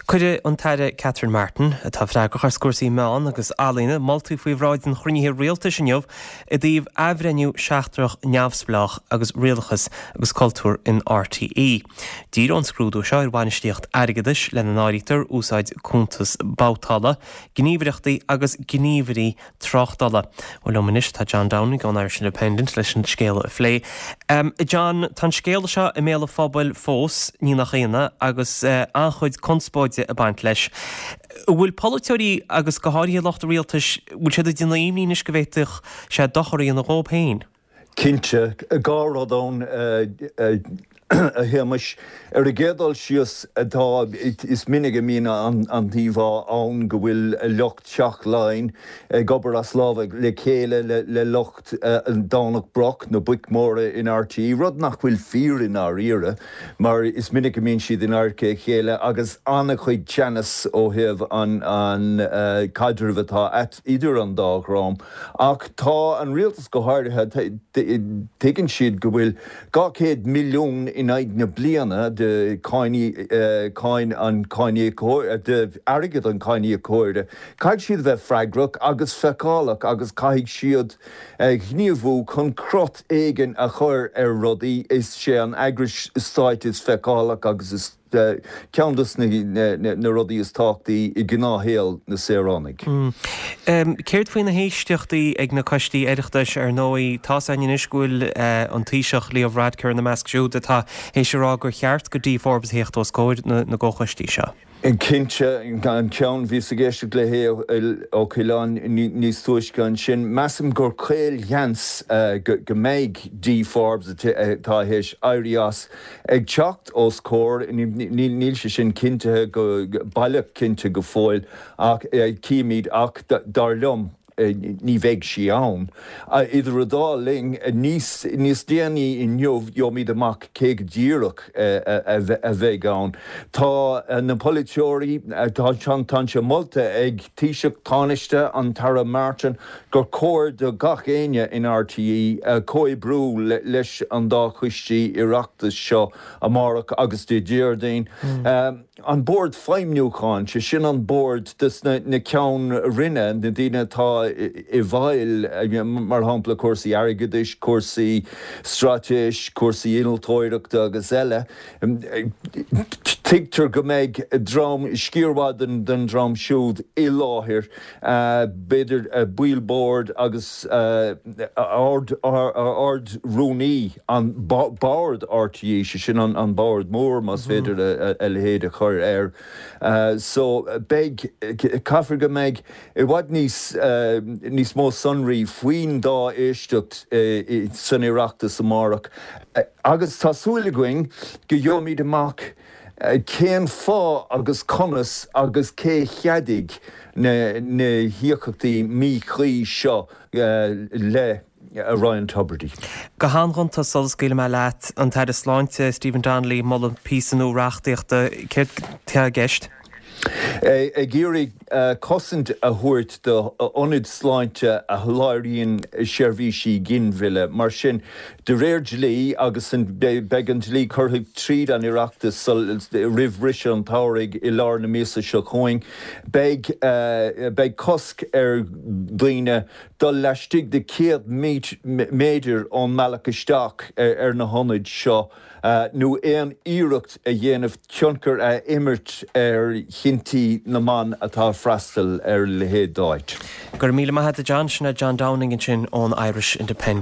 Cuirfidh an tAire Catherine Martin, atá freagrach as cúrsaí meán agus ealaíona, moltaí faoi bhráid an chruinnithe rialtais inniu i dtaobh athbhreithniú seachtrach neamhspleách agus rialachas agus cultúr in RTÉ. Díreoidh an scrúdú seo ar bhainistíocht airgeadais, lena n-áirítear úsáid cuntas babhtála, gníomhaireachtaí agus gníomhairí tráchtála. Bhuel, liom anois tá John Downing ón Irish Independent leis an scéal a phlé. John, tá an scéal seo i mbéal an phobail fós, ní nach ionadh, agus an-chuid conspóide ag baint leis. An bhfuil polaiteoirí agus go háirithe lucht an rialtais, bhfuil siad ag déanamh imní anois go bhféadfadh sé dochar a dhéanamh dhóibh féin? Cinnte. 2 rud ann, a Shéamais. Ar an gcéad dul síos, tá, is minic a mbíonn an t-íomhá ann go bhfuil lucht Theach Laighean ag obair as lámha le chéile le lucht Dhomhnach Broc, na boic mhóra in RTÉ, rud nach bhfuil fíor i ndáiríre mar is minic a mbíonn siad in adharca a chéile agus an-chuid teannas ó thaobh an caidrimh atá idir an dá dhream. Ach tá an rialtas go háirithe, tuigeann siad go bhfuil 200 milliún in aghaidh na bliana de cháin an cháiníocóra, de airgead an cháiníocóra. Caithfidh siad a bheith freagrach agus feiceálach agus caithfidh siad gníomhú chun crot éigin a chur ar rudaí. Is é an eagrais stáit is feiceálach agus is. ceann de na rudaí is tábhachtaí i ngnáthshaol na saoránaigh. Céard faoi na héisteachtaí ag na coistí Oireachtais? Ar ndóigh, tá's againn anois go bhfuil an Taoiseach Leo Varadkar ina measc siúd atá théis a rá gur cheart do Dee Forbes a theacht os comhair na gcomhchoistí seo. Cinnte, an ceann, bhíos ag éisteacht le hAodh Ó Coileáin níos túisce ansin, measaim gur caolsheans go mbeidh Dee Forbes, atá théis éirí as, Ag teacht os comhair, níl sé sin cinntithe go baileach cinnte go fóill ach cífimid ach dar liom ní bheidh sí ann. Idir an dá linn, níos níos déanaí inniu gheobhaimid amach cé go díreach a bheidh ann. Tá na polaiteoirí, tá sé molta ag Taoiseach, Tánaiste, an tAire Martin, gur chóir do gach éinne in RTÉ comhoibriú leis an dá choistí Oireachtais seo amárach agus Dé Déardaoin. An Bord Feidhmiúcháin, sé sin an bord des na ceann roinne, na daoine atá i bhfeighil, mar shampla cúrsaí airgeadais, cúrsaí straitéis, cúrsaí innealtóireachta agus eile. Tuigtear go mbeidh dream, sciar mhaith den dream siúd i láthair. b'fhéidir baill boird agus Ard-Rúnaí an Bord RTÉ, sé sin an bord mór más féidir a leithéid a chur air. So beidh, caithfear go mbeidh i bhfad níos, níos mó sonraí faoin dá éisteacht san Oireachtas amárach agus tá súil againn go gheobhaimid amach Cén fáth agus conas agus cé cheadaigh na híocaíochtaí míchuí seo le Ryan Tubridy? Go han-ghonta sula scaoilfidh mé leat, an tAire Sláinte, Stephen Donnelly, ag moladh píosa nua reachtaíochta. Céard atá i gceist? Ag iarraidh cosaint a thabhairt d'ionaid sláinte a sholáthraíonn seirbhísí ginmhilleadh. Mar sin, de réir dlí, agus beidh an dlí curtha tríd an Oireachtas roimh bhriseadh an tsamhraidh i lár na míosa seo chugainn, beidh beidh cosc ar dhaoine dul laistigh de 100 méadar ón mbealach isteach ar na hionaid seo. nó aon iarracht a dhéanamh tionchar a imirt ar chinntí na mban atá ag freastal ar a leithéid d'áit. Go raibh míle maith agat a John, sin é John Downing ansin ón Irish Independent.